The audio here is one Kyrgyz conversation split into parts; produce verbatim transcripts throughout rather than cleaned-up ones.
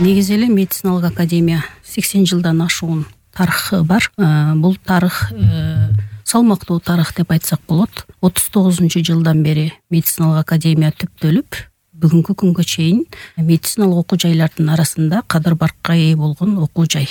Негизи эле медициналык академия сексен жылдан ашуун тарыхы бар. Бул тарых салмактуу тарых деп айтсак болот. отуз тогузунчу жылдан бери медициналык академия түптөлүп, бүгүнкү күнгө чейин медициналык окуу жайлардын арасында кадыр баркка ээ болгон окуу жай.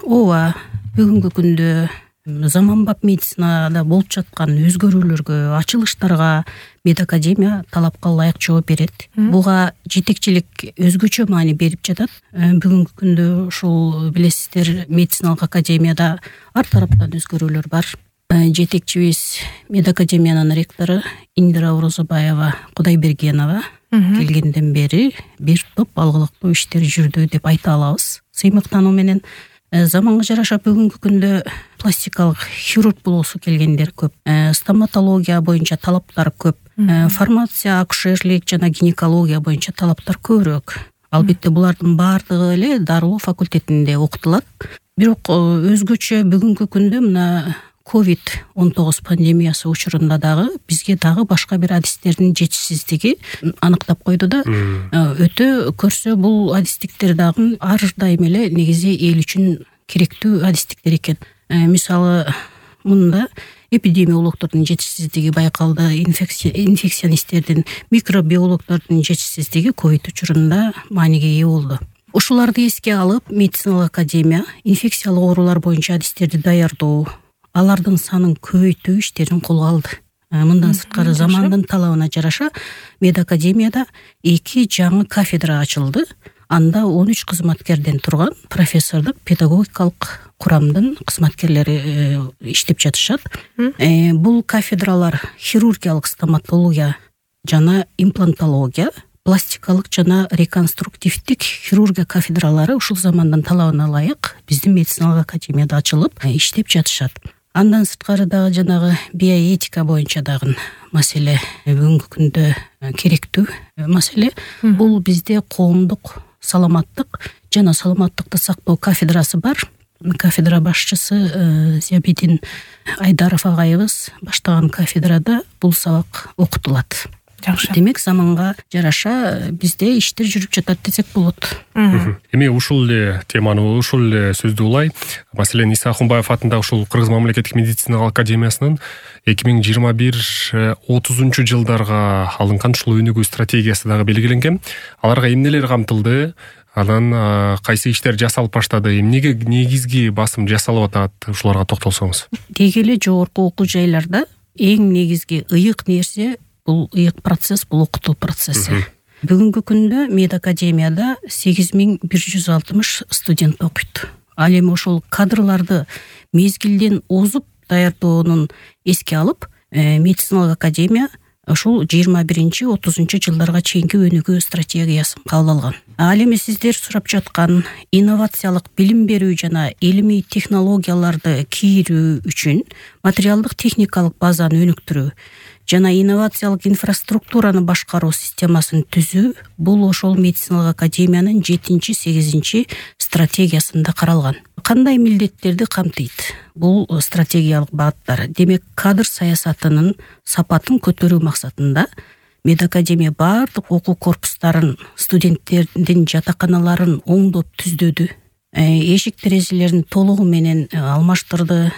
Ооба, бүгүнкү күндө заманбап медицинада болуп жаткан өзгөрүүлөргө, ачылыштарга медакадемия талапка ылайык жооп берет. Буга жетекчилик өзгөчө маани берип жатат. Бүгүнкү күндө ушул билесиздер, медициналык академияда ар тараптан өзгөрүүлөр бар. Жетекчибиз медакадемиянын ректору Индира Орозобаева Кудайбергенова келгенден бери бир топ алгылыктуу иштер жүрдү деп айта алабыз. Сыймыктануу менен заманга жараша бүгүнкү күндө пластикалык хирург болосу келгендер көп, стоматология боюнча талаптар көп, фармация, акушерлик жана гинекология боюнча талаптар көбүрөөк. Албетте булардын баардыгы эле дарылоо факультетинде окутулат. Бирок өзгөчө бүгүнкү күндө мына ковид он тогуз пандемиясы учурунда дагы бизге дагы башка бир адистердин жетишсиздиги аныктап койду да. Өтө көрсө бул адистиктер дагы ар дайым эле негизи эл үчүн керектүү адистиктер экен. Мисалы, мында эпидемиологдордун жетишсиздиги байкалды, инфекционисттердин, микробиологдордун жетишсиздиги ковид учурунда мааниге ээ болду. Ушуларды эске алып, медициналык академия инфекциялык оорулар боюнча адистерди даярдоо, алардын санын көбөйтүү иштерин колго алды. Мындан сырткары замандын талабына жараша медакадемияда эки жаңы кафедра ачылды. Анда он үч кызматкерден турган профессордук педагогикалык курамдын кызматкерлери иштеп жатышат. Бул кафедралар хирургиялык стоматология жана имплантология, пластикалык жана реконструктивдик хирургия кафедралары ушул замандын талабына ылайык биздин медициналык академияда ачылып иштеп жатышат. Андан сырткары дагы жанагы биоэтика боюнча дагы маселе бүгүнкү күндө керектүү маселе. Бул бизде коомдук саламаттык жана саламаттыкты сактоо кафедрасы бар. Кафедра башчысы Зиябедин Айдаров агайыбыз баштаган кафедрада бул сабак окутулат. Жакшы. Демек, заманга жараша бизде иштер жүрүп жатат десек болот. Эми ушул эле теманы, ушул эле сөздү улай, маселен Иса Акунбаев атындагы ушул Кыргыз мамлекеттик медициналык академиясынын эки миң жыйырма бир отузунчу жылдарга алынган ушул өнүгүү стратегиясы дагы белгиленген. Аларга эмнелер камтылды? Анан кайсы иштер жасалып баштады? Эмнеге негизги басым жасалып атат? Ушуларга токтолсоңуз. Деги эле жогорку окуу жайларда эң негизги ыйык нерсе бул ыйык процесс, бул окутуу процесси. Бүгүнкү күндө медакадемияда сегиз миң бир жүз алтымыш студент окуйт. Ал эми ошол кадрларды мезгилден озуп даярдоонун эске алып, медициналык академия ушул жыйырма биринчи отузунчу жылдарга чейинки өнүгүү стратегиясын кабыл алган. Ал эми сиздер сурап жаткан инновациялык билим берүү жана илимий технологияларды кийрүү үчүн материалдык техникалык базаны өнүктүрүү жана инновациялык инфраструктураны башкаруу системасын түзүү бул ошол медициналык академиянын жетинчи сегизинчи стратегиясында каралган. Кандай милдеттерди камтыйт бул стратегиялык багыттар? Демек, кадр саясатынын сапатын көтөрүү максатында медакадемия баардык окуу корпустарын, студенттердин жатаканаларын оңдоп түздөдү. Эшик терезелерин толугу менен алмаштырды.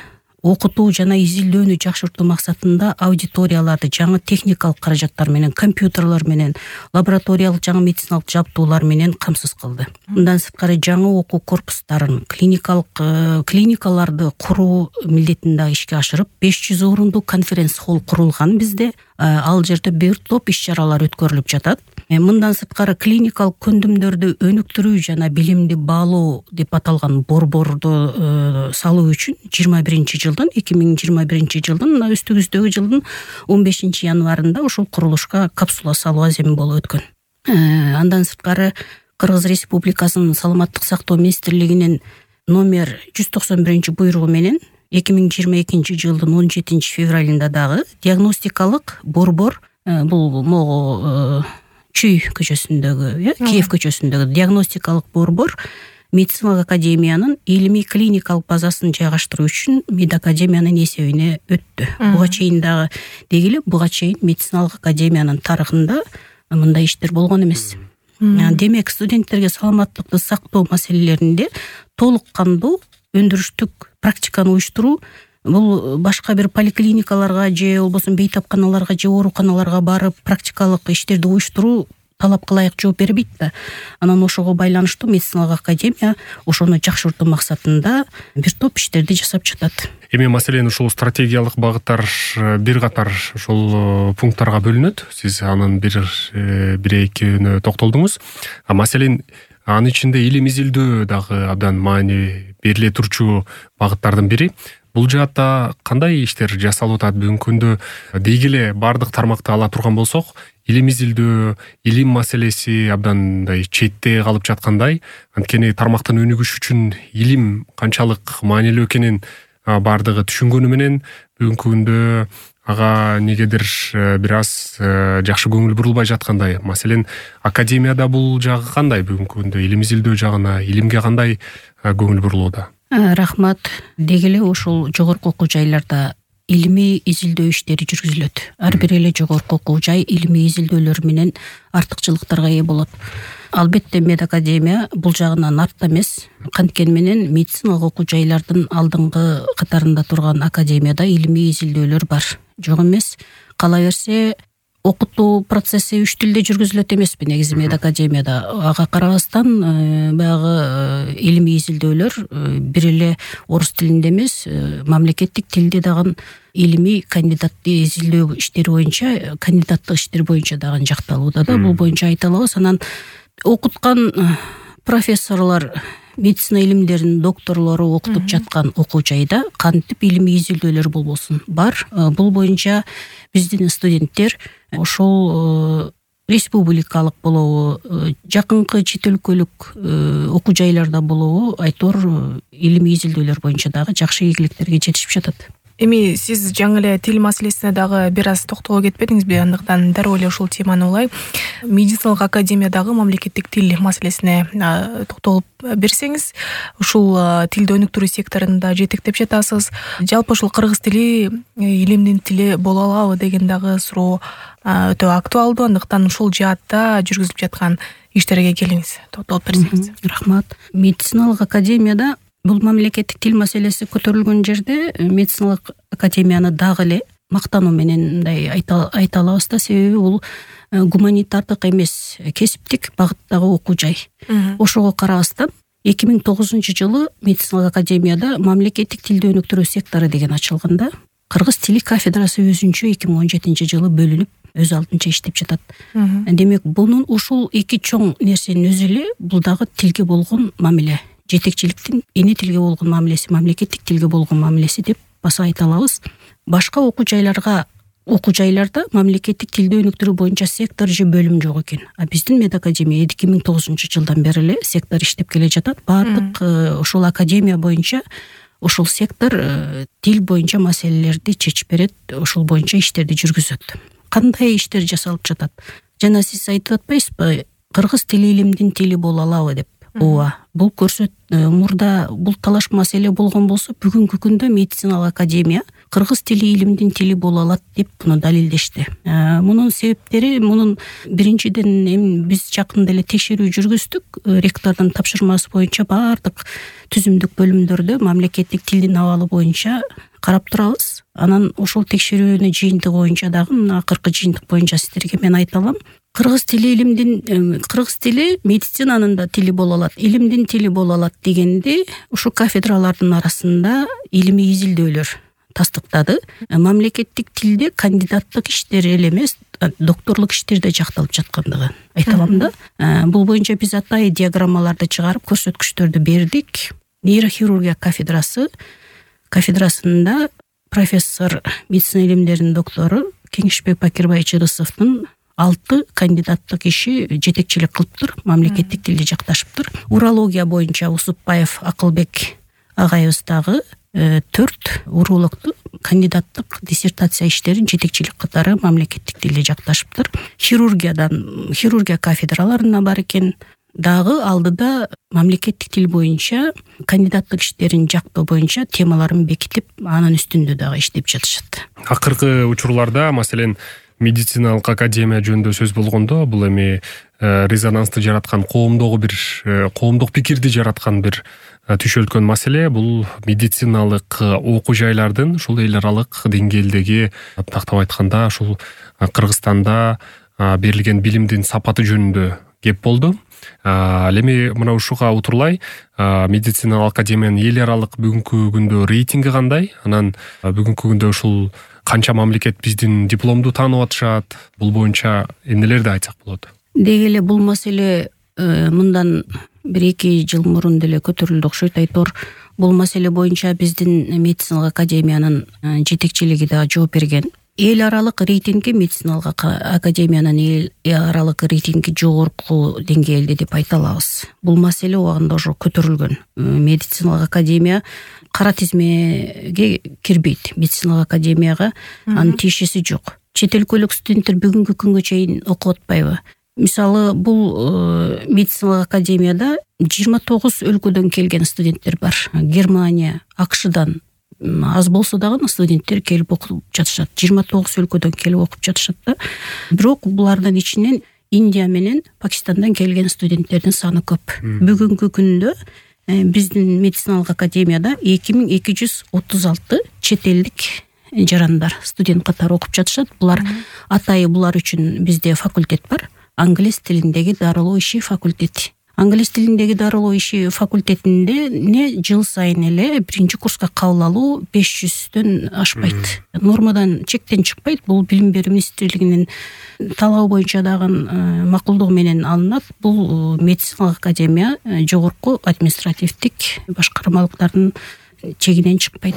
Окутуу жана изилдөөнү жакшыртуу максатында аудиторияларды жаңы техникалык каражаттар менен, компьютерлер менен, лабораториялык жаңы медициналык жабдуулар менен камсыз кылды. Мындан сырткары жаңы окуу корпустарын, клиникалык клиникаларды куруу милдетин дагы ишке ашырып, беш жүз орунду конференц холл курулган бизде. Ал жерде бир топ иш-чаралар өткөрүлүп жатат. Мындан сырткары клиникалык көндүмдөрдү өнүктүрүү жана билимди баалоо деп аталган борборду салуу үчүн жыйырма биринчи жылдын эки миң жыйырма биринчи жылдын мына үстүбүздөгү жылдын он бешинчи январында ушул курулушка капсула салуу аземи болуп өткөн. Андан сырткары Кыргыз Республикасынын саламаттык сактоо министрлигинин номер жүз токсон биринчи буйругу менен эки миң жыйырма экинчи жылдын он жетинчи февралында дагы диагностикалык борбор, бул могу Чүй көчөсүндөгү, Киев көчөсүндөгү диагностикалык борбор медициналык академиянын илимий клиникалык базасын жайгаштыруу үчүн медакадемиянын эсебине өттү. Буга чейин дагы дегиле буга чейин медициналык академиянын тарыхында мындай иштер болгон эмес. Демек студенттерге саламаттыкты сактоо маселелеринде толук кандуу өндүрүштүк практиканы уюштуруу, бул башка бир поликлиникаларга же болбосо бейтапканаларга же ооруканаларга барып практикалык иштерди уюштуруу талапка ылайык жооп бербейт да. Анан ошого байланыштуу медициналык академия ошону жакшыртуу максатында бир топ иштерди жасап жатат. Эми маселен ушул стратегиялык багыттар бир катар ушул пункттарга бөлүнөт. Сиз анын бир бир экөөнө токтолдуңуз. А маселен анын ичинде илим изилдөө дагы абдан маани бериле турчу багыттардын бири. Бул жаатта кандай иштер жасалып атат бүгүнкү күндө? Деги эле бардык тармакты ала турган болсок, илим изилдөө, илим маселеси абдан мындай четте калып жаткандай. Анткени тармактын өнүгүшү үчүн илим канчалык маанилүү экенин бардыгы түшүнгөнү менен бүгүнкү күндө ага негедир бир аз жакшы көңүл бурулбай жаткандай. Маселен, академияда бул жагы кандай бүгүнкү күндө? Илим изилдөө жагына, илимге кандай көңүл бурулууда? Рахмат. Деги эле ушул жогорку окуу жайларда илимий изилдөө иштери жүргүзүлөт. Ар бир эле жогорку окуу жай илимий изилдөөлөр менен артыкчылыктарга ээ болот. Албетте медакадемия бул жагынан артта эмес. Канткени менен медициналык окуу жайлардын алдыңкы катарында турган академияда илимий изилдөөлөр бар. Жок эмес. Кала берсе окутуу процесси үч тилде жүргүзүлөт эмеспи негизи медакадемияда. Ага карабастан баягы илимий изилдөөлөр бир эле орус тилинде эмес, мамлекеттик тилде дагы илимий кандидаттык изилдөө иштери боюнча, кандидаттык иштер боюнча дагы жакталууда да. Бул боюнча айта алабыз. Анан окуткан профессорлор, медицина илимдеринин докторлору окутуп жаткан окуу жайда кантип илимий изилдөөлөр болбосун бар. Бул боюнча биздин студенттер ошол республикалык болобу, жакынкы чет өлкөлүк окуу жайларда болобу айтор илимий изилдөөлөр боюнча дагы жакшы ийгиликтерге жетишип жатат. Эми сиз жаңы эле тил маселесине дагы бир аз токтоло кетпедиңизби? Андыктан дароо эле ушул теманы улай медициналык академиядагы мамлекеттик тил маселесине токтолуп берсеңиз. Ушул тилди өнүктүрүү секторунда жетектеп жатасыз. Жалпы ушул кыргыз тили илимдин тили боло алабы деген дагы суроо өтө актуалдуу. Андыктан ушул жаатта жүргүзүлүп жаткан иштерге келиңиз, токтолуп берсеңиз. Рахмат. Медициналык академияда бул мамлекеттик тил маселеси көтөрүлгөн жерде медициналык академияны дагы эле мактануу менен мындай айта алабыз да. Себеби бул гуманитардык эмес, кесиптик багыттагы окуу жай. Ошого карабастан эки миң тогузунчу жылы медициналык академияда мамлекеттик тилди өнүктүрүү сектору деген ачылган да. Кыргыз тили кафедрасы өзүнчө эки миң он жетинчи жылы бөлүнүп өз алдынча иштеп жатат. Демек, бунун ушул эки чоң нерсенин өзү эле бул дагы тилге болгон мамиле. Жетекчиликтин эне тилге болгон мамилеси, мамлекеттик тилге болгон мамилеси деп баса айта алабыз. Башка окуу жайларга окуу жайларда мамлекеттик тилди өнүктүрүү боюнча сектор же бөлүм жок экен. А биздин медакадемия эки миң тогузунчу жылдан бери эле сектор иштеп келе жатат. Баардык ушул академия боюнча ушул сектор тил боюнча маселелерди чечип берет, ушул боюнча иштерди жүргүзөт. Кандай иштер жасалып жатат? Жана сиз айтып атпайсызбы, кыргыз тили илимдин тили боло алабы деп? Ооба, бул көрсөт мурда бул талаш маселе болгон болсо, бүгүнкү күндө медициналык академия кыргыз тили илимдин тили боло алат деп муну далилдешти. Мунун себептери, мунун биринчиден эми биз жакында эле текшерүү жүргүздүк. Ректордун тапшырмасы боюнча баардык түзүмдүк бөлүмдөрдө мамлекеттик тилдин абалы боюнча карап турабыз. Анан ошол текшерүүнүн жыйынтыгы боюнча дагы мына акыркы жыйынтык боюнча сиздерге мен айта алам. Кыргыз тили илимдин кыргыз тили медицинанын да тили боло алат, илимдин тили боло алат дегенде ушу кафедралардын арасында илимий изилдөөлөр тастыктады. Мамлекеттик тилде кандидаттык иштер эле эмес, докторлук иштер да жакталып жаткандыгын айта алам да. Бул боюнча биз атай диаграммаларды чыгарып көрсөткүчтөрдү бердик. Нейрохирургия кафедрасы кафедрасында профессор медицина илимдеринин доктору Кеңешбек Бакирбай Чырысовдун алты кандидаттык иши жетекчилик кылыптыр, мамлекеттик тилди жакташыптыр. Урология боюнча Усупбаев Акылбек агайыбыз дагы төрт урологду кандидаттык диссертация иштерин жетекчилик катары мамлекеттик тилди жакташыптыр. Хирургиядан хирургия кафедраларына бар экен. Дагы алдыда мамлекеттик тил боюнча кандидаттык иштерин жактоо боюнча темаларын бекитип, анын үстүндө дагы иштеп жатышат. Акыркы учурларда, маселен, медициналык академия жөнүндө сөз болгондо, бул эми резонансты жараткан, коомдогу бир коомдук пикирди жараткан бир түшөлткөн маселе. Бул медициналык окуу жайлардын ушул эл аралык деңгээлдеги, тактап айтканда, ушул Кыргызстанда берилген билимдин сапаты жөнүндө кеп болду. Ал эми мына ушуга утурлай медициналык академиянын эл аралык бүгүнкү күндө рейтинги кандай? Анан бүгүнкү күндө ушул канча мамлекет биздин дипломду таанып атышат? Бул боюнча эмнелерди айтсак болот? Деги эле бул маселе мындан бир эки жыл мурун деле көтөрүлдү окшойт. Айтор бул маселе боюнча биздин медициналык академиянын жетекчилиги да жооп берген. Эл аралык рейтинги, медициналык академиянын эл аралык рейтинги жогорку деңгээлде деп айта алабыз. Бул маселе убагында уже көтөрүлгөн. Медициналык академия кара тизмеге кирбейт. Медициналык академияга анын тиешеси жок. Чет өлкөлүк студенттер бүгүнкү күнгө чейин окуп атпайбы? Мисалы, бул медициналык академияда жыйырма тогуз өлкөдөн келген студенттер бар. Германия, АКШдан аз болсо дагы студенттер келип окуп жатышат. жыйырма тогуз өлкөдөн келип окуп жатышат да. Бирок булардын ичинен Индия менен Пакистандан келген студенттердин саны көп. Бүгүнкү күндө биздин медициналык академияда эки миң эки жүз отуз алты чет элдик жарандар студент катары окуп жатышат. Булар атайы булар үчүн бизде факультет бар. Англис тилиндеги дарылоо иши факультети. Англис тилиндеги дарылоо иши факультетинде не жыл сайын эле биринчи курска кабыл алуу беш жүздөн ашпайт. Нормадан чектен чыкпайт. Бул билим берүү министрлигинин талабы боюнча дагы макулдугу менен алынат. Бул медициналык академия жогорку административдик башкармалыктардын чегинен чыкпайт.